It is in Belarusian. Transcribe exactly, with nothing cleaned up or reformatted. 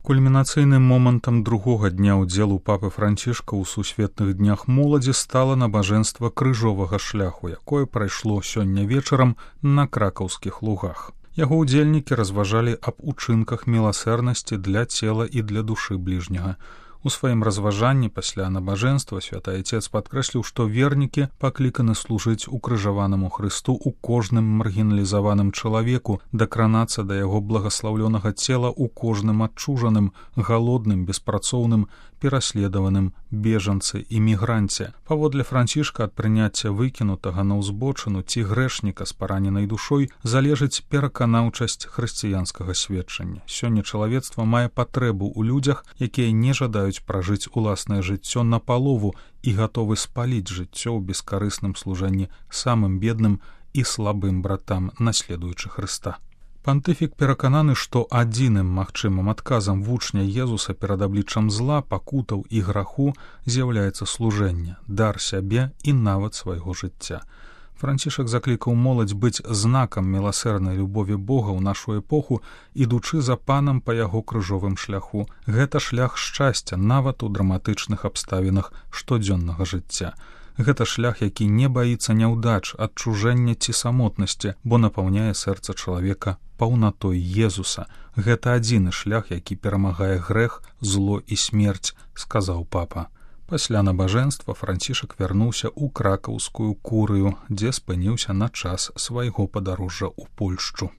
Кульмінацыйным момантам другога дня ўдзелу папы Францішка ў сусветных днях моладзі стала набажэнства крыжовага шляху, якое прайшло сёння вечарам на кракаўскіх лугах. Яго ўдзельнікі разважалі аб учынках міласэрнасці для цела і для душы бліжняга. У сваім разважанні пасля набажэнства святы Айцец падкрэсліў, што вернікі пакліканы служыць укрыжаванаму Хрысту ў кожным маргіналізаваным чалавеку, дакранацца да яго благаслаўлёнага цела ў кожным адчужаным, галодным, беспрацоўным, пераследаваным бежанцы і мігранце. Паводле Францішка ад прыняцця выкінутага на ўзбочыну ці грэшніка з параненай душой залежыць пераканаўчасць хрысціянскага сведчання. Сёння чалавецтва мае патрэбу ў людзях, якія не жадаюць пражыць уласнае жыццё напалову і гатовы спаліць жыццё ў бескарысным служэнні самым бедным і слабым братам, наследуючы Хрыста. Пантыфік перакананы, што адзіным магчымым адказам вучня Езуса перад абліччам зла, пакутаў і граху з'яўляецца служэнне, дар сябе і нават свайго жыцця. Францішак заклікаў моладзь быць знакам міласэрнай любові Бога ў нашу эпоху, ідучы за панам па яго крыжовым шляху. Гэта шлях шчасця нават у драматычных абставінах штодзённага жыцця. Гэта шлях, які не баіцца няўдач, адчужэння ці самотнасці, бо напаўняе сэрца чалавека паўнатой Езуса. Гэта адзіны шлях, які перамагае грэх, зло і смерць, сказаў папа. Пасля набажэнства Францішак вярнуўся ў кракаўскую курыю, дзе спыніўся на час свайго падарожжа ў Польшчу.